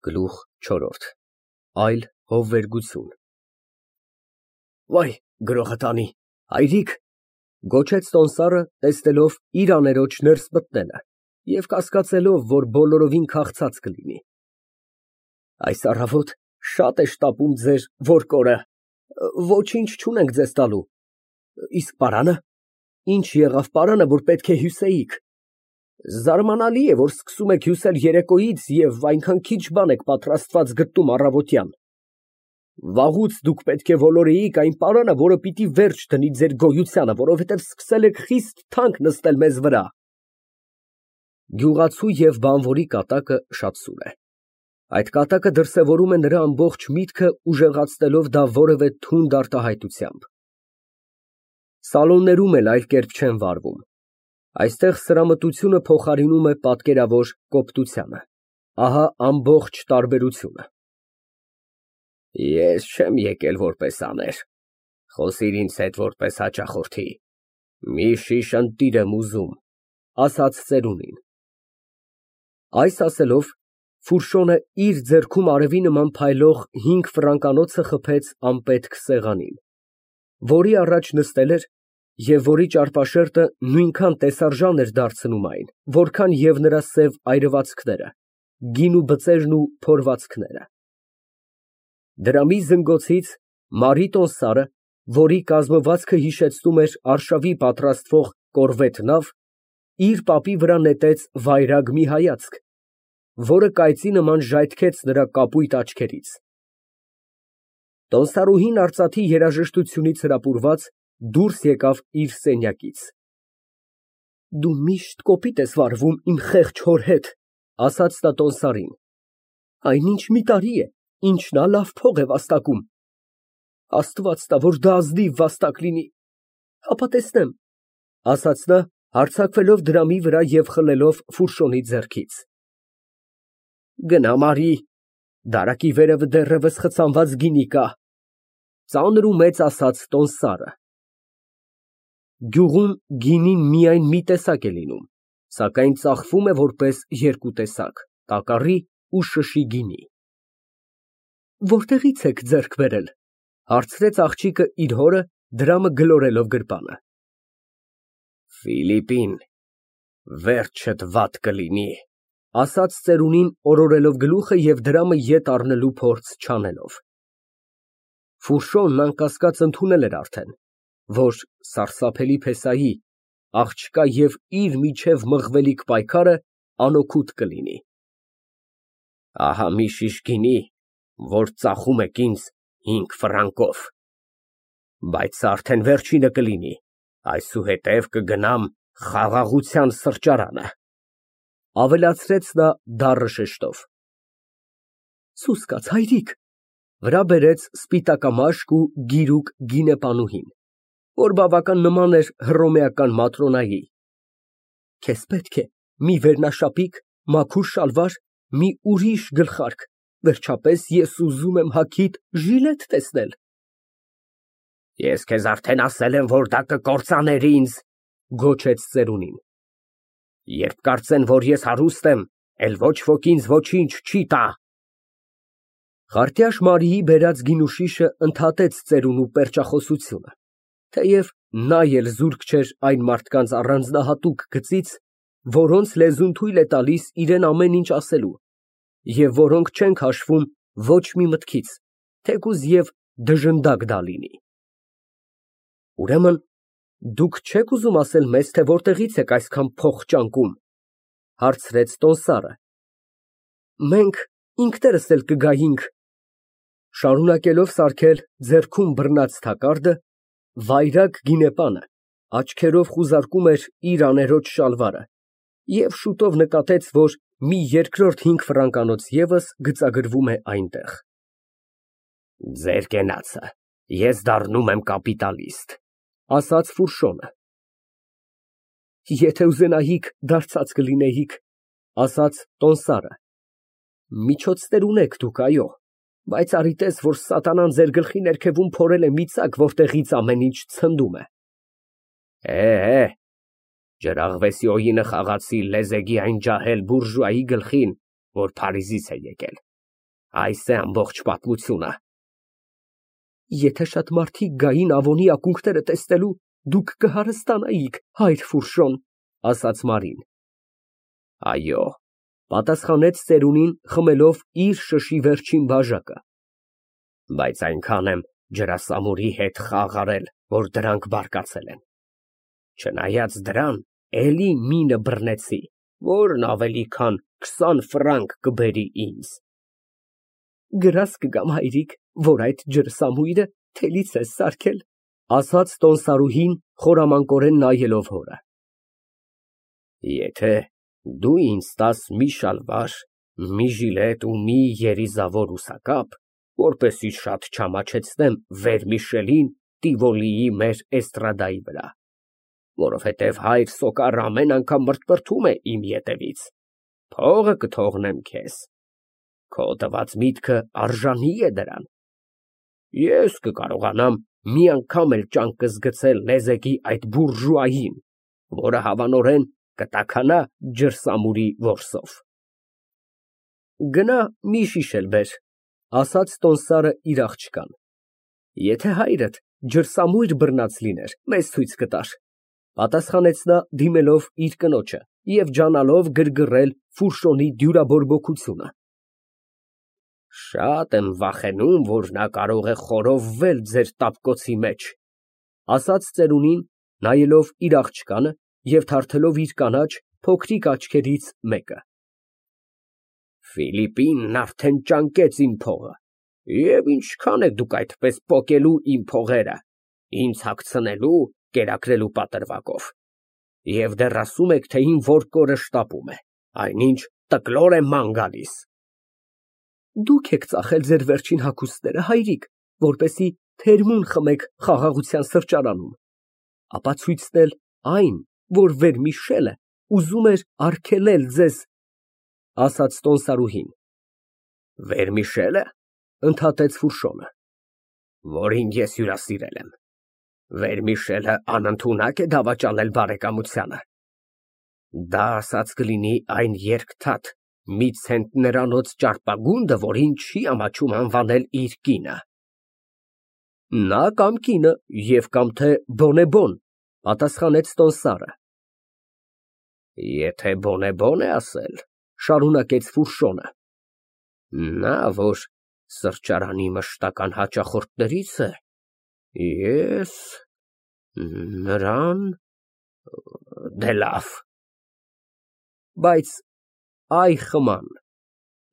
Գլուխ չորրորդ Այլ հովվերգություն Վայ, գրողը տանի, հայրիկ, գոչեց Տոնդսարը, տեսնելով իր աներոջ ներս մտնելը և կասկածելով, որ բոլորովին քաղցած կլինի։ Այս առավոտ շատ է շտապում ձեր որկորը, ոչինչ չունենք ձեզ տալու, իսկ պարանը, ինչ եղավ պարանը, որ պետք է հյուսեիք։ Զարմանալի է, որ սկսում եք հյուսել երեկոյից և այնքան քիչ բան եք պատրաստված գտնում առավոտյան։ Վաղուց դուք պետք է ոլորեիք այն պարանը, որը պիտի վերջ դնի ձեր գոյությանը, որովհետև սկսել եք խիստ թանկ նստել մեզ վրա։ Գյուղացու և բանվորի կատակը շատ սուր է։ Այդ կատակը դրսևորում է նրա ամբողջ միտքը, ուժեղացնելով դա որևէ թունդ արտահայտությամբ։ Սալոններում էլ այլ կերպ չեն վարվում։ Այստեղ սրամտությունը փոխարինում է պատկերավոր կոպտությանը։ Ահա ամբողջ տարբերությունը։ Ես չեմ եկել որպես աներ, խոսիր ինձ հետ որպես հաճախորդի, մի շիշ ընտիր եմ ուզում, ասաց ծերունին։ Այս ասելով, Ֆուրշոնը իր ձեռքում արևի նման փայլող 5 ֆրանկանոցը խփեց անպետք սեղանին, որի առաջ նստել էր և որի ճարպաշերտը նույնքան տեսարժան էր դարձնում այն, որքան և նրա սև այրվածքները, գինու բծերն ու փորվածքները։ Դրամի զնգոցից Մարի Տոնդսարը, որի կազմվածքը հիշեցնում էր արշավի պատրաստվող կորվետ նավ, իր պապի վրա նետեց վայրագ մի հայացք, որը կայծի նման ժայթքեց նրա կապույտ աչքերից։ Տոնդսարուհին արծաթի երաժշտությունից հրապուրված դուրս եկավ իր սենյակից։ Դու միշտ կոպիտ ես վարվում իմ խեղճ հոր հետ, ասաց նա Տոնդսարին, այնինչ մի տարի է, ինչ նա լավ փող է վաստակում։ Աստված տա, որ դա ազնիվ վաստակ լինի, հապա տեսնեմ, ասաց նա, հարձակվելով դրամի վրա և խլելով Ֆուրշոնի ձեռքից։ Գնա, Մարի, դարակի վերևը դեռևս խցանված գինի կա, ծանր ու մեծ ասաց Տոնդսարը։ Գյուղում գինին միայն մի տեսակ է լինում, սակայն ծախվում է որպես երկու տեսակ՝ տակառի ու շշի գինի։ Որտեղի՞ց եք ձեռք բերել, հարցրեց աղջիկը իր հորը, դրամը գլորելով գրպանը։ Ֆիլիպին, վերջդ վատ կլինի, ասաց ծերունին, օրորելով գլուխը և դրամը ետ առնելու փորձ չանելով։ Ֆուրշոնն անկասկած ընդունել էր արդեն, որ սարսափելի փեսայի, աղջկա և իր միջև մղվելիք պայքարը անօգուտ կլինի։ Ահա մի շիշ գինի, որ ծախում եք ինձ 5 ֆրանկով, բայց սա արդեն վերջինը կլինի, այսուհետև կգնամ խաղաղության սրճարանը, ավելացրեց նա դառը շեշտով։ Սուս կաց, հայրիկ, վրա բերեց սպիտակամաշկ ու գիրուկ գինեպանուհին, որ բավական նման էր հռոմեական Մատրոնայի։ Քեզ պետք է մի վերնաշապիկ, մաքուր շալվար, մի ուրիշ գլխարկ, վերջապես ես ուզում եմ հագիդ ժիլետ տեսնել։ Ես քեզ արդեն ասել եմ, որ դա կկործաներ ինձ, գոչեց ծերունին։ Երբ կարծեն, որ ես հարուստ եմ, էլ ոչ ոք ինձ ոչինչ չի տա։ Խարտյաշ Մարիի բերած գինու շիշը ընդհատեց ծերունու պերճախոսությունը, թեև նա էլ զուրկ չէր այն մարդկանց առանձնահատուկ գծից, որոնց լեզուն թույլ է տալիս իրան ամեն ինչ ասելու, և որոնք չեն քաշվում ոչ մի մտքից, թեկուզ և դժնդակ դա լինի։ Ուրեմն դուք չեք ուզում ասել մեզ, թե որտեղից եք այսքան փող ճանկում, հարցրեց Տոնդսարը։ Մենք ինքներս էլ կգայինք, շարունակելով սարքել ձեռքում բռնած թակարդը, վայրագ գինեպանը աչքերով խուզարկում էր իր աներոջ շալվարը և շուտով նկատեց, որ մի երկրորդ 5 ֆրանկանոց ևս գծագրվում է այնտեղ։ Ձեր կենացը ես դառնում եմ կապիտալիստ, ասաց Ֆուրշոնը։ Եթե ուզենայիք, դարձած կլինեիք, ասաց Տոնդսարը։ Միջոցներ ունեք դուք, այո, բայց արի տես, որ սատանան ձեր գլխի ներքևում փորել է մի ծակ, որտեղից ամեն ինչ ցնդում է։ Ջրաղվեսի օինը խաղացի լեզեգի այն ջահել բուրժուայի գլխին, որ Փարիզից է եկել։ Այս է ամբողջ պատմությունը։ Եթե շատ մարդիկ գային Ավոնի ակունքները տեսնելու, դուք կհարստանայիք, հայր Ֆուրշոն, ասաց Մարին։ Այո, պատասխանեց ծերունին, խմելով իր շշի վերջին բաժակը։ Բայց այնքան եմ ջրասամուրի հետ խաղ արել, որ դրանք բարկացել են։ Չնայած դրան, էլի մինը բռնեցի, որն ավելի քան 20 ֆրանկ կբերի ինձ։ Գրազ կգամ, հայրիկ, որ այդ ջրսամույրը թելից ես սարքել, ասաց տոնսարուհին, խորամանկորեն նայելով հորը։ Եթե դու ինձ տաս մի շալվար, մի ժիլետ ու մի երիզավոր ուսակապ, որպեսզի շատ չամաչեցնեմ Վերմիշելին Տիվոլիի մեր էստրադայի վրա, որովհետև հայր Սոկարը ամեն անգամ մրթմրթում է իմ ետևից, փողը կթողնեմ քեզ, քո տված միտքը արժանի է դրան, ես կկարողանամ մի անգամ էլ ճանկս գցել Լեզեկի այդ բուրժուային, որը հավանորեն կտաքանա ջրսամուրի որսով։ Գնա մի շիշ էլ բեր, ասաց տոնսարը իր աղջկան, եթե հայրդ ջրսամույր բռնած լիներ, մեզ ցույց կտար, պատասխանեց նա դիմելով իր կնոջը և ջանալով գրգռել Ֆուրշոնի դյուրաբորբոքությունը։ Շատ եմ վախենում, որ նա կարող է խորովվել ձեր տապկոցի մեջ, ասաց ծերունին, նայելով իր աղջկանը և թարթելով իր կանաչ, փոքրիկ աչքերից մեկը։ Ֆիլիպինն արդեն ճանկեց իմ փողը, և ինչքան եք դուք այդպես պոկելու իմ փողերը, ինձ հագցնելու, կերակրելու պատրվակով, և դեռ ասում եք, թե իմ որկորը շտապում է, այնինչ տկլոր է ման գալիս։ Դուք եք ծախել ձեր վերջին հագուստները, հայրիկ, որպեսզի թերմուն խմեք խաղաղության սրճարանում, ապա ցույցնել այն, որ Վերմիշելը ուզում էր արգելել ձեզ, ասաց տոնսարուհին։ Վերմիշելը, ընդհատեց Ֆուրշոնը, որին ես հյուրասիրել եմ, Վերմիշելը անընդունակ է դավաճանել բարեկամությանը։ Դա ասած կլինի այն երկթաթ մի ցենտներանոց ճարպագունդը, որին չի ամաչում անվանել իր կինը։ Նա կամ կինը և կամ թե բոնեբոն, պատասխանեց տոնսարը։ Եթե բոնեբոն է ասել, շարունակեց Ֆուրշոնը, նա, որ սրճարանի մշտական հաճախորդներից է, ես նրան, դե լավ, բայց այ խման,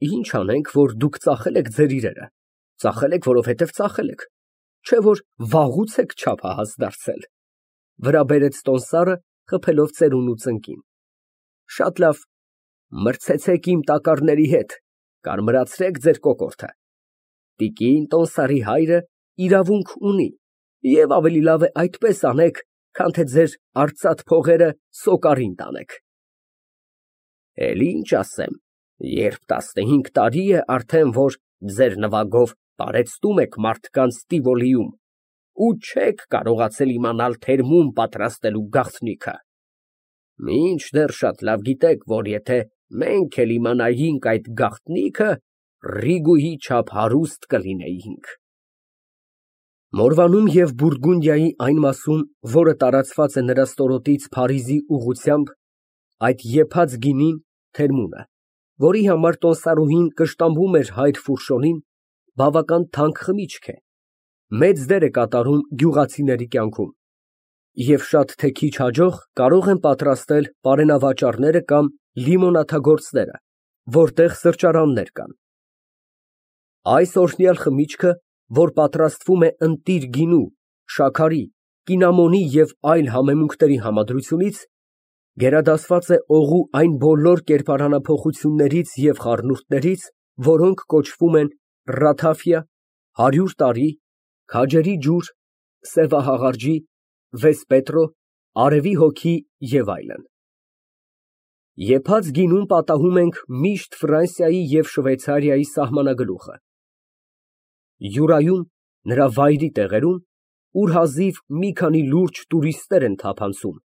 ինչ անենք, որ դուք ծախել եք ձեր իրերը, ծախել եք, որովհետև ծախել եք, չէ որ վաղուց եք չափահաս դարձել, վրա բերեց տոնսարը, խփելով ծերունու ծնկին։ Շատ լավ, մրցեցեք իմ տակառների հետ, կարմրացրեք ձեր կոկորդը, տիկին տոնսարի հայրը իրավունք ունի, և ավելի լավ է այդպես անեք, քան թե ձեր արծաթ փողերը Սոկարին տանեք։ Էլ ինչ ասեմ, երբ 15 տարի է արդեն, որ ձեր նվագով տարեցտում եք մարդկանց Տիվոլիում ու չեք կարողացել իմանալ թերմում պատրաստելու գաղտնիքը, մինչդեռ շատ լավ գիտեք, որ եթե մենք էլ իմանայինք այդ գաղտնիքը, Ռիգուի չափ հարուստ կլինեինք։ Մորվանում և Բուրգունդիայի այն մասում, որը տարածված է նրա ստորոտից Փարիզի ուղղությամբ, այդ եփած գինին, թերմունը, որի համար տոնսարուհին կշտամբում էր հայր Ֆուրշոնին, բավական թանկ խմիչք է, մեծ դեր է կատարում գյուղացիների կյանքում, և շատ թե քիչ հաջող կարող են պատրաստել պարենավաճառները կամ լիմոնադագործները, որտեղ սրճարաններ կան։ Այս օրհնյալ խմիչքը, որ պատրաստվում է ընտիր գինու, շաքարի, կինամոնի և այլ համեմունքների համադրությունից, գերադասված է օղու այն բոլոր կերպարանափոխություններից և խառնուրդներից, որոնք կոչվում են ռաթաֆիա, 100 տարի, քաջերի ջուր, սևահաղարջի, վեսպետրո, արևի հոգի և այլն։ Եփած գինում պատահում ենք միշտ Ֆրանսիայի և Շվեյցարիայի սահմանագլուխը։ Յուրայում, նրա վայրի տեղերում, ուր հազիվ մի քանի լուրջ տուրիստներ են թափանցում,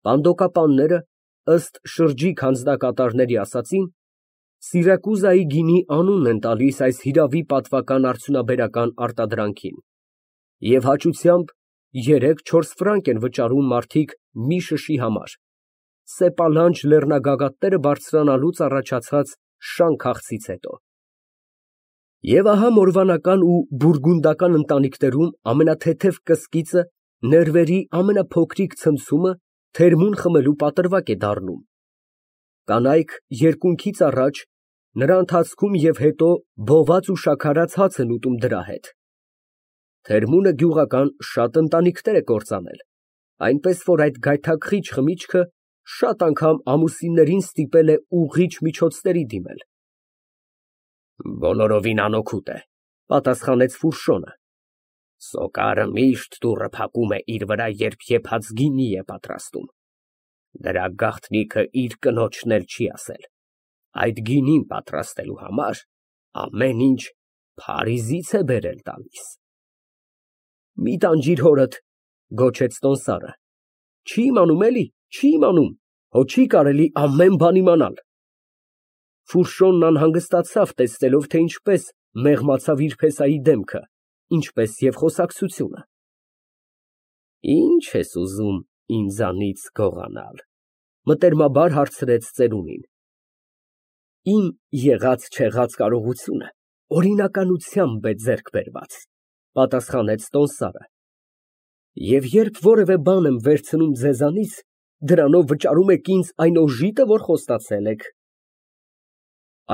պանդոկապանները, ըստ շրջիկ հանձնակատարների ասածին, Սիրակուզայի գինի անունն են տալիս այս հիրավի պատվական արդյունաբերական արտադրանքին և հաճությամբ 3-4 ֆրանկ են վճարում մարդիկ մի շշի համար, սեպալանջ լեռնագագաթները բարձրանալուց առաջացած շան քաղցից հետո։ Եվ ահա մորվանական ու բուրգունդական ընտանիքներում ամենաթեթև կսկիծը, ներվերի ամենափոքրիկ ցնցումը թերմուն խմելու պատրվակ է դառնում։ Կանայք երկունքից առաջ, նրա ընթացքում և հետո բոված ու շաքարած հաց են ուտում դրա հետ։ Թերմունը գյուղական շատ ընտանիքներ է կործանել, այնպես որ այդ գայթակղիչ խմիչքը շատ անգամ ամուսիններին ստիպել է ուղղիչ միջոցների դիմել։ Բոլորովին անօգուտ է, պատասխանեց Ֆուրշոնը։ Սոկարը միշտ դուռը փակում է իր վրա, երբ եփած գինի է պատրաստում։ Դրա գաղտնիքը իր կնոջն էլ չի ասել։ Այդ գինին պատրաստելու համար ամեն ինչ Փարիզից է բերել տալիս։ Մի տանջիր հորդ, գոչեց տոմսարը։ Չի իմանում էլի, չի իմանում, հո չի կարելի ամեն բան իմանալ։ Ֆուրշոնն անհանգստացավ, տեսնելով, թե ինչպես մեղմացավ իր փեսայի դեմքը, ինչպես և խոսակցությունը։ Ի՞նչ ես ուզում ինձանից գողանալ, մտերմաբար հարցրեց ծերունին։ Իմ եղած֊չեղած կարողությունը օրինականությամբ է ձեռք բերված, պատասխանեց տոմսարը։ Եվ երբ որևէ բան եմ վերցնում ձեզանից, դրանով վճարում եք ինձ այն օժիտը, որ խոստացել եք։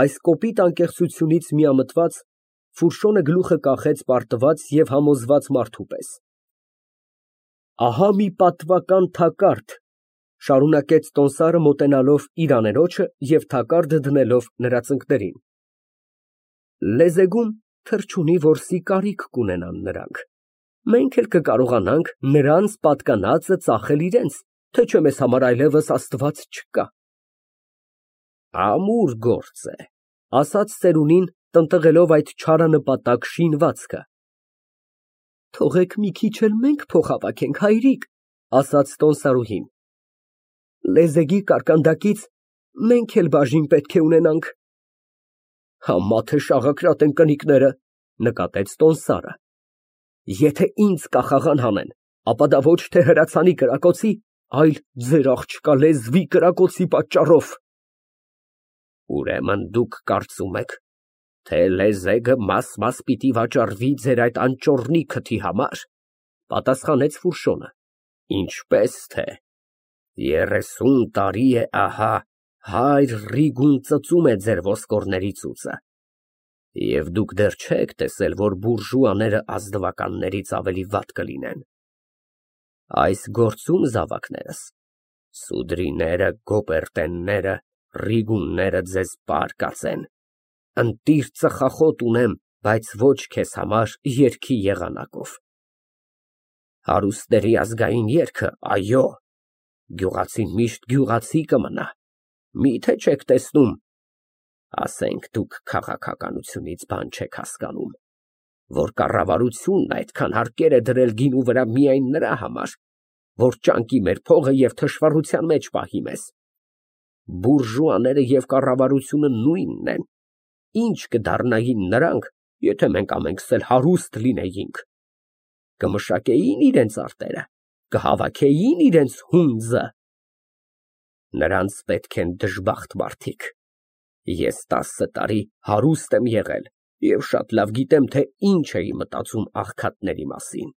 Այս կոպիտ անկեղծությունից միամտված Ֆուրշոնը գլուխը կախեց պարտված և համոզված մարդու պես։ Ահա մի պատվական թակարդ, շարունակեց տոմսարը մոտենալով իր աներոջը և թակարդը դնելով նրա ծնկներին։ Լեզեգում թռչունի որսի կարիք կունենան նրանք։ Մենք էլ կկարողանանք նրանց պատկանածը ծախել իրենց, թե չէ մեզ համար այլևս Աստված չկա։ Ամուր գործ է, ասաց ծերունին, տնտղելով այդ չարանպատակ շինվածքը։ Թողեք մի քիչ էլ մենք փոխհավաքենք, հայրիկ, ասաց տոմսարուհին։ Լեզեգի կարկանդակից մենք էլ բաժին պետք է ունենանք։ Համա թե շաղակրատ են կնիկները, նկատեց տոմսարը։ Եթե ինձ կախաղան հանեն, ապա դա ոչ թե հրացանի կրակոցի, այլ ձեր աղջկա լեզվի կրակոցի պատճառով։ Ուրեմն դուք կարծում եք, թե լեզեգը մաս պիտի վաճառվի ձեր այդ անճոռնի քթի համար, պատասխանեց Ֆուրշոնը։ Ինչպես թե 30 տարի է ահա հայր Ռիգուն ծծում է ձեր ոսկորների ծուծը, և դուք դեռ չեք տեսել, որ բուրժուաները ազնվականներից ավելի վատ կլինեն։ Այս գործում զավակներս, սուդրիները, գոպերտենները, Ռիգունները ձեզ պարկած են, ընտիր ծխախոտ ունեմ, բայց ոչ քեզ համար երգի եղանակով։ Հարուստների ազգային երգը, այո, գյուղացին միշտ գյուղացի կմնա, միթե չեք տեսնում, ասենք դուք քաղաքականությունից բան չեք հասկանում, որ կառավարությունն այդքան հարկեր է դրել գինու վրա միայն նրա համար, որ ճանկի մեր փողը և թշվառության մեջ պահի մեզ։ Բուրժուաները և կառավարությունը նույնն են, ինչ կդառնային նրանք, եթե մենք ամենքս էլ հարուստ լինեինք։ Կմշակեին իրենց արտերը, կհավաքեին իրենց հունձը։ Նրանց պետք են դժբախտ մարդիկ։ Ես 10 տարի հարուստ եմ եղել և շատ լավ գիտեմ, թե ինչ էի մտածում աղքատների մասին։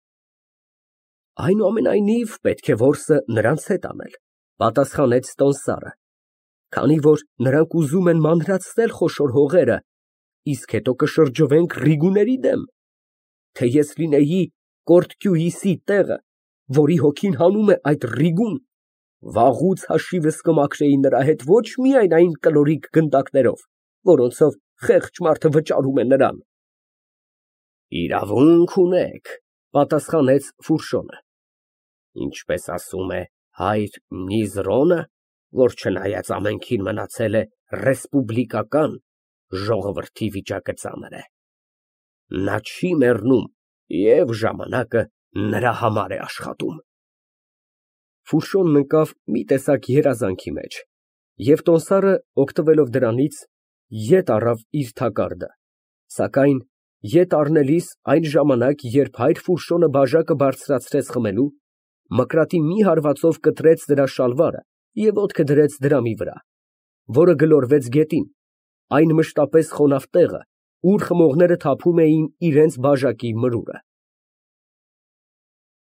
Այնուամենայնիվ, պետք է որսը նրանց հետ անել, պատասխանեց տոմսարը, քանի որ նրանք ուզում են մանրացնել խոշոր հողերը, իսկ հետո կշրջվենք Ռիգուների դեմ։ Թե ես լինեի Կորտկյուիսի տեղը, որի հոգին հանում է այդ Ռիգուն, վաղուց հաշիվս կմաքրեի նրա հետ ոչ միայն այն կլորիկ գնդակներով, որոնցով խեղճ մարդը վճարում է նրան։ Իրավունք ունեք, պատասխանեց Ֆուրշոնը։ Ինչպես ասում է հայր Միզրոնը, որ չնայած ամենքին մնացել է ռեսպուբլիկական, ժողովրդի վիճակը ծանր է։ Նա չի մեռնում և ժամանակը նրա համար է աշխատում։ Ֆուրշոնն ընկավ մի տեսակ երազանքի մեջ, և տոմսարը, օգտվելով դրանից, Ետ առավ իր թակարդը, սակայն ետ առնելիս այն ժամանակ, երբ հայր Ֆուրշոնը բաժակը բարձրացրեց խմելու, մկրատի մի հարվածով կտրեց դրա շալվարը և ոտքը դրեց դրամի վրա, որը գլորվեց գետին, այն մշտապես խոնավ տեղը, ուր խմողները թափում էին իրանց բաժակի մրուրը։